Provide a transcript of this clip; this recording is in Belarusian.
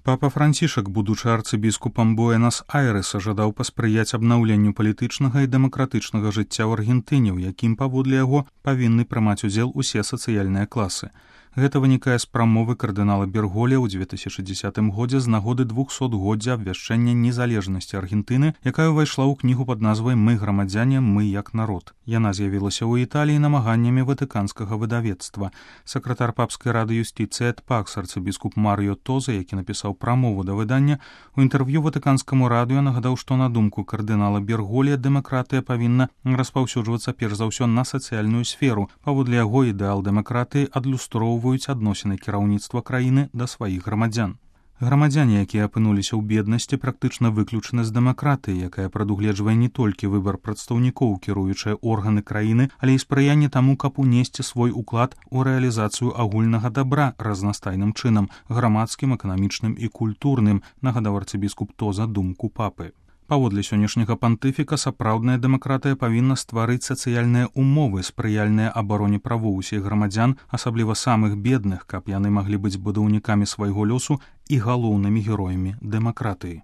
Папа Францішак, будучы арцыбіскупам Буэнас-Айрэса, жадаў паспрыяць абнаўленню палітычнага і дэмакратычнага жыцця ў Аргентыне, у якім, паводле яго, павінны прымаць удзел усе сацыяльныя класы. Гэта вынікае з прамовы кардынала Берголя ў 2010 годзе з нагоды 200-годдзя абвяшчэння незалежнасці Аргентыны, якая ўвайшла ў кнігу пад назвай «Мы грамадзяне, мы як народ». Яна з'явілася ў Італіі намаганнямі ватыканскага выдавецтва. Сакратар папскай рады юстыцыі эт Пакс, арцыбіскуп Марыё Тоза, які напісаў прамову да выдання, у інтэрв'ю ватыканскаму радыё нагадаў, што на думку кардынала Берголя дэмакратыя павінна распаўсюджвацца перш за ўсё на сацыяльную сферу. Паводле яго ідэал дэмакратыі адлюстроўваюць адносіны кіраўніцтва краіны да сваіх грамадзян. Грамадзяне, якія апынуліся ў беднасці, практычна выключаны з дэмакратыі, якая прадугледжвае не толькі выбар прадстаўнікоў, кіруючыя органы краіны, але і спрыянне таму, каб унесці свой уклад у рэалізацыю агульнага дабра разнастайным чынам, грамадскім, эканамічным і культурным, нагадаў арцыбіскуп Тоза думку папы. Паводле сённяшняга пантыфіка сапраўдная дэмакратыя павінна стварыць сацыяльныя умовы, спрыяльныя абароне правоў усіх грамадзян, асабліва самых бедных, каб яны маглі быць будаўнікамі свайго лёсу і галоўнымі героямі дэмакратыі.